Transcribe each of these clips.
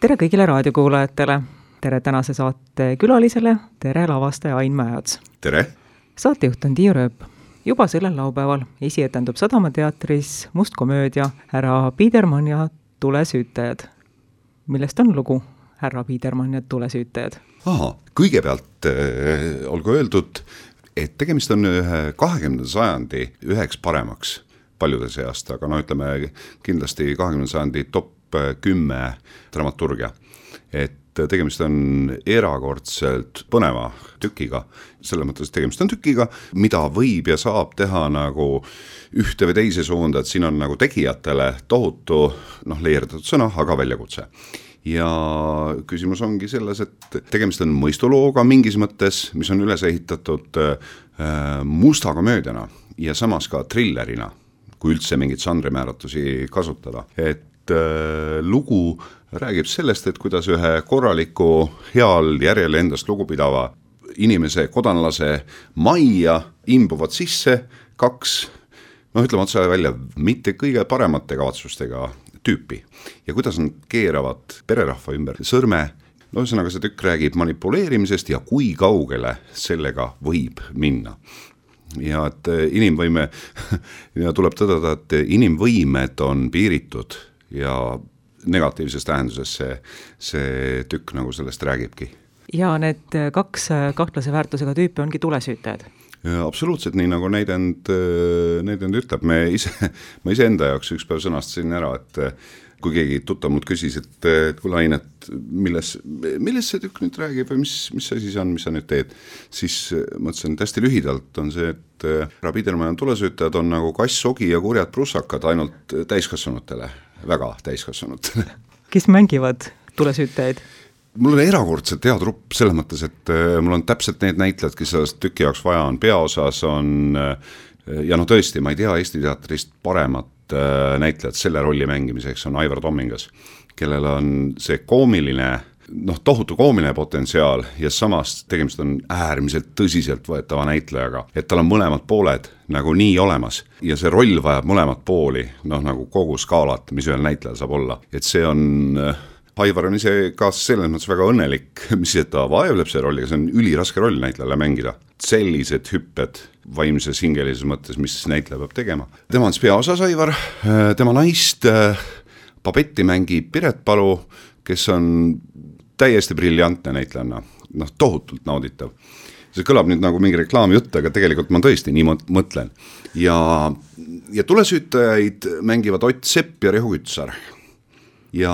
Tere kõigile raadiokuulajatele, tere tänase saate külalisele, tere lavastaja Ain Mäeots. Tere! Saatejuht on Tiiu Rööp. Juba sellel laupäeval esietendub Sadama teatris must komöödia Härra Biedermann ja tulesüütajad. Millest on lugu Härra Biedermann ja tulesüütajad? Kõigepealt olgu öeldud, et tegemist on 20. sajandi üheks paremaks paljude seast, aga ütleme kindlasti 20. sajandi top 10 dramaturgia. Et tegemist on erakordselt põneva tükiga, selles mõttes tegemist on tükiga, mida võib ja saab teha nagu ühte või teise suunda, et siin on nagu tegijatele tohutu, leierdatud sõna, aga väljakutse. Ja küsimus ongi selles, et tegemist on mõistulooga mingis mõttes, mis on üles ehitatud musta komöödiana ja samas ka thrillerina, kui üldse mingit žanrimääratusi kasutada. Et lugu räägib sellest, et kuidas ühe korraliku, heal järjele endast lugupidava inimese, kodanlase majja imbuvad sisse kaks, ütleme otse välja, mitte kõige paremate kavatsustega tüüpi. Ja kuidas nad keeravad pererahva ümber sõrme, ühesõnaga see tükk räägib manipuleerimisest ja kui kaugele sellega võib minna. Ja et inimvõime, ja tuleb tõdeda, et inimvõimed on piiritud ja negatiivses tähenduses see tükk nagu sellest räägibki. Ja need kaks kahtlase väärtusega tüüpi ongi tulesüütajad? Ja absoluutselt, nii nagu näidend ütleb. Ma ise enda jaoks üks päev sõnastasin ära, et kui keegi tuttav mult küsis, et kuule Ain, et milles see tükk nüüd räägib või mis asi see on, mis sa nüüd teed, siis mõtlesin, et hästi lühidalt on see, et Härra Biedermann ja tulesüütajad on nagu kass, sogi ja kurjad prussakad ainult täiskasvanutele, väga täiskasvanutele. Kes mängivad tulesüütajaid? Mul on erakordselt hea trupp selles mõttes, et mul on täpselt need näitlejad, kes sellest tüki jaoks vaja on. Peaosas on, ja tõesti, ma ei tea Eesti teatrist paremat näitlejad selle rolli mängimiseks on Aivar Tommingas, kellel on see koomiline, tohutu koomiline potentsiaal ja samas tegemist on äärmiselt tõsiselt võetava näitlejaga, et tal on mõlemad pooled nagu nii olemas ja see roll vajab mõlemad pooli, nagu kogu skaalat, mis ühel näitlejal saab olla, et see on Aivar on ise ka selles mõttes väga õnnelik, mis ta vaevleb see rolliga, see on üliraske roll näitlejale mängida. Sellised hüpped vaimses hingelises mõttes, mis näitleja peab tegema. Tema on peaosas Aivar, tema naist Pabetti mängib Piret Palu, kes on täiesti briljantne näitlejanna, tohutult nauditav. See kõlab nüüd nagu mingi reklaamjutt, aga tegelikult ma tõesti nii mõtlen. Ja tulesüütajaid mängivad Ott Sepp ja Rehu Kütsar. Ja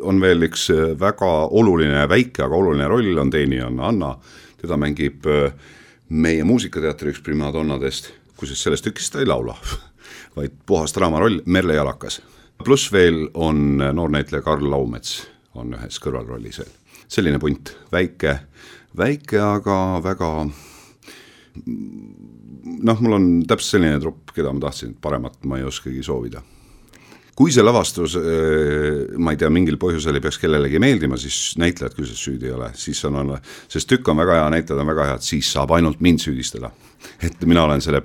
on veel üks väga oluline, väike, aga oluline roll on teenijana Anna. Teda mängib meie muusikateatri üks primadonnadest, kusjuures sellest tükist ta ei laula, vaid puhas draamaroll Merle Jalakas. Plus veel on noornäitleja Karl Laumets, on ühes kõrvalrollis. Selline punt, väike, aga väga... mul on täpselt selline trupp, keda ma tahtsin, paremat ma ei oskagi soovida. Kui see lavastus, ma ei tea, mingil põhjusel ei peaks kellelegi meeldima, siis näitlejad küll süüdi ei ole. Sest tükk on väga hea, näitlejad on väga hea, et siis saab ainult mind süüdistada. Et mina olen selle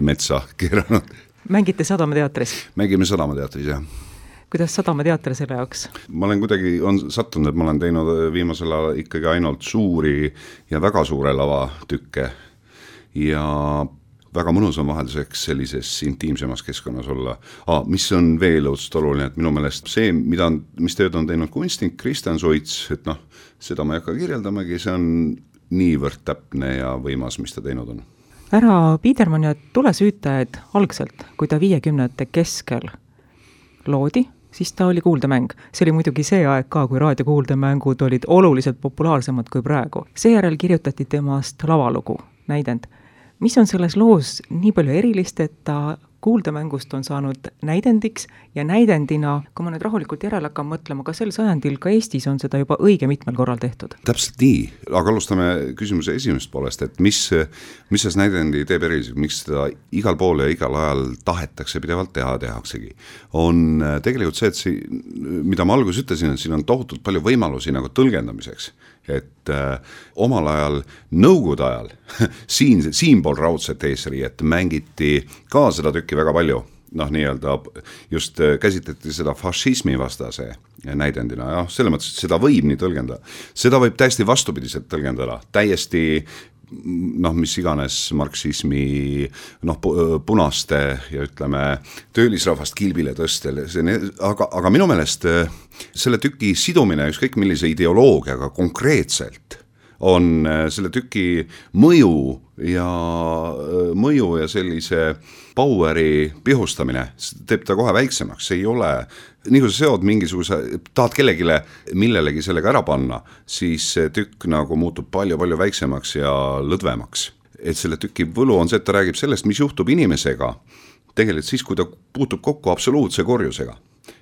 metsa keeranud. Mängite Sadama teatris? Mängime Sadama teatris, jah. Kuidas Sadama teater selle jaoks? Ma olen kuidagi sattunud, et ma olen teinud viimasel ajal ikkagi ainult suuri ja väga suure lava tükke. Ja väga mõnus on vahelduseks sellises intiimsemas keskkonnas olla. Mis on veel õudselt oluline, et minu meelest see, mis tööd on teinud kunstnik Kristjan Suits, et seda ma ei hakka kirjeldamagi, see on niivõrd täpne ja võimas, mis ta teinud on. Härra Biedermann ja tulesüütajad algselt, kui ta 50. keskel loodi, siis ta oli kuuldemäng. See oli muidugi see aeg ka, kui raadiokuuldemängud olid oluliselt populaarsemad kui praegu. Seejärel kirjutati temast lavalugu, näidend. Mis on selles loos nii palju erilist, et ta kuuldemängust on saanud näidendiks ja näidendina, kui ma nüüd rahulikult järele hakkan mõtlema, ka sel sajandil ka Eestis on seda juba õige mitmel korral tehtud. Täpselt nii, aga alustame küsimuse esimest poolest, et mis see näidendi teeb eriliseks, miks seda igal pool ja igal ajal tahetakse pidevalt tehaksegi. On tegelikult see, et mida ma alguses ütlesin, et siin on tohutult palju võimalusi nagu tõlgendamiseks. Et omal ajal, nõukogude ajal, siinpool raudset eesriiet mängiti ka seda tükki väga palju noh, nii-öelda just käsitleti seda fašismi vastase näidendina, jah, selles mõttes, et seda võib nii tõlgendada. Seda võib täiesti vastupidiselt tõlgendada, täiesti noh, mis iganes marksismi noh, punaste ja ütleme töölisrahvast kilbile tõstel, aga minu meelest selle tüki sidumine ükskõik millise ideoloogiaga konkreetselt on selle tüki mõju ja sellise poweri pihustamine teeb ta kohe väiksemaks, see ei ole, nii kui sa seod mingisuguse, tahad kellegile millelegi sellega ära panna, siis see tükk nagu muutub palju-palju väiksemaks ja lõdvemaks. Et selle tüki võlu on see, et ta räägib sellest, mis juhtub inimesega tegelikult siis, kui ta puutub kokku absoluutse korjusega.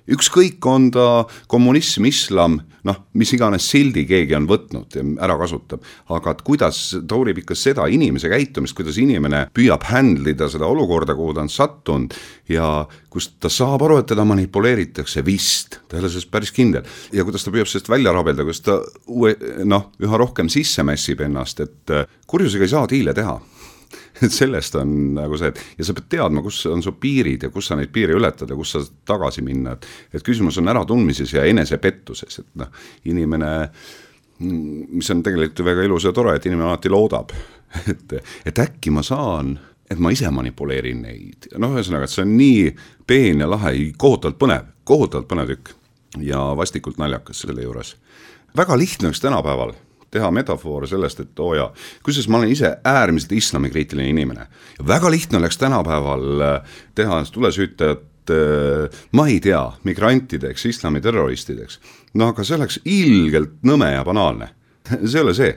Ükskõik on ta kommunism, islam, noh, mis iganes sildi keegi on võtnud ja ära kasutab, aga kuidas ta uurib ikka seda inimese käitumist, kuidas inimene püüab handlida seda olukorda, kuhu ta on sattunud ja kus ta saab aru, et teda manipuleeritakse vist, ta ei ole sellest päris kindel ja kuidas ta püüab sellest välja rabelda, kuidas ta üha rohkem sisse mässib ennast, et kurjusega ei saa diile teha. Et sellest on nagu see, ja sa pead teadma, kus on su piirid ja kus sa neid piiri ületad ja kus sa tagasi minna, et küsimus on äratundmises ja enesepettuses, et noh, inimene, mis on tegelikult väga ilus ja tore, et inimene alati loodab, et äkki ma saan, et ma ise manipuleerin neid, noh, ühesõnaga, et see on nii peen ja lahe, kohutavalt põnev tükk ja vastikult naljakas selle juures. Väga lihtne üks tänapäeval teha metafoore sellest, et kusjuures ma olen ise äärmiselt islamikriitiline inimene. Ja väga lihtne oleks tänapäeval teha tulesüütajat, ma ei tea, migrantideks, islamiterroristideks. No aga see oleks ilgelt nõme ja banaalne. See ei ole see,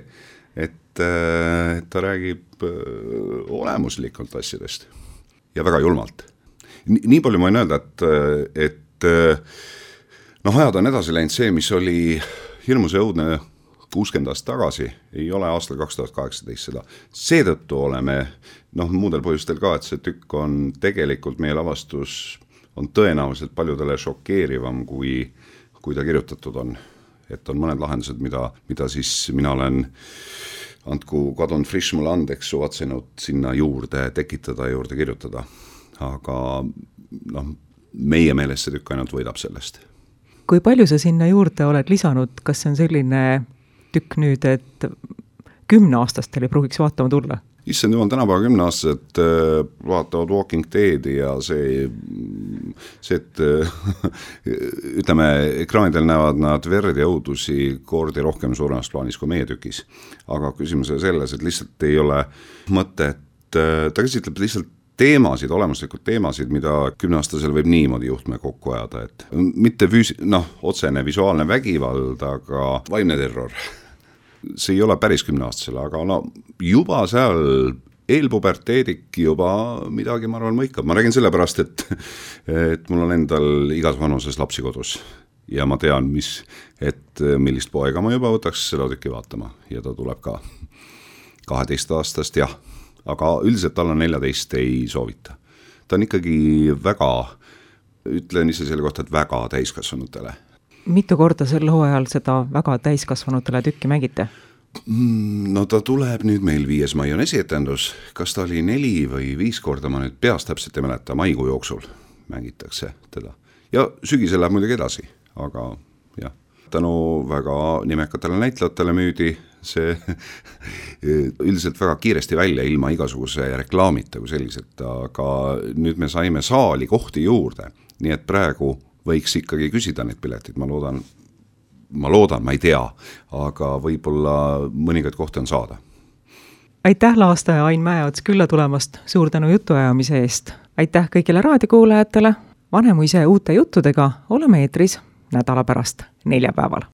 et ta räägib olemuslikult asjadest ja väga julmalt. Nii palju ma võin öelda, et ajad on edasi läinud see, mis oli hirmus ja õudne 60 aastat tagasi, ei ole aastal 2018 seda. Seetõttu oleme, muudel põhjustel ka, et see tükk on tegelikult meie lavastus on tõenäoliselt paljudele šokeerivam, kui ta kirjutatud on. Et on mõned lahendused, mida siis mina olen andku Kadon Frisch mulle andeks suvatsenud sinna juurde tekitada, juurde kirjutada. Aga meie meelest see tükk ainult võidab sellest. Kui palju sa sinna juurde oled lisanud, kas see on selline tükk nüüd, et 10-aastastel ei pruugiks vaatama tulla? Issand jumal, tänapäeva 10-aastased vaatavad Walking Deadi ja see, et ütleme, ekraanidel näevad nad verd ja õudusi kordi rohkem suuremas plaanis kui meie tükis. Aga küsimus on selles, et lihtsalt ei ole mõte, et ta käsitleb lihtsalt teemasid, olemuslikud teemasid, mida 10-aastasel võib niimoodi juhtme kokku ajada, et mitte otsene visuaalne vägivald, aga vaimne terror. See ei ole päris 10-aastasel, aga juba seal eelpuberteedik juba midagi, ma arvan, mõikab. Ma räägin sellepärast, et mul on endal igas vanuses lapsi kodus ja ma tean, millist poega ma juba võtaks seda tükki vaatama ja ta tuleb ka 12 aastast, jah. Aga üldiselt alla 14 ei soovita. Ta on ikkagi väga, ütlen ise selle kohta, et väga täiskasvanutele. Mitu korda sel hooajal seda väga täiskasvanutele tükki mängite? Ta tuleb nüüd meil 5. mai on esietendus. Kas ta oli 4 või 5 korda, ma nüüd peast täpselt ei mäleta, maikuu jooksul mängitakse teda. Ja sügisel läheb muidugi edasi, aga jah, tänu väga nimekatele näitlejatele müüdi see üldiselt väga kiiresti välja ilma igasuguse reklaamita kui selliselt, aga nüüd me saime saali kohti juurde, nii et praegu võiks ikkagi küsida neid piletid, ma loodan, ma ei tea, aga võib-olla mõningaid kohti on saada. Aitäh laastaja Ain Mäeots külla tulemast, suur tänu jutuajamise eest. Aitäh kõigile raadiokuulajatele, Vanemuise uute juttudega oleme eetris nädala pärast neljapäeval.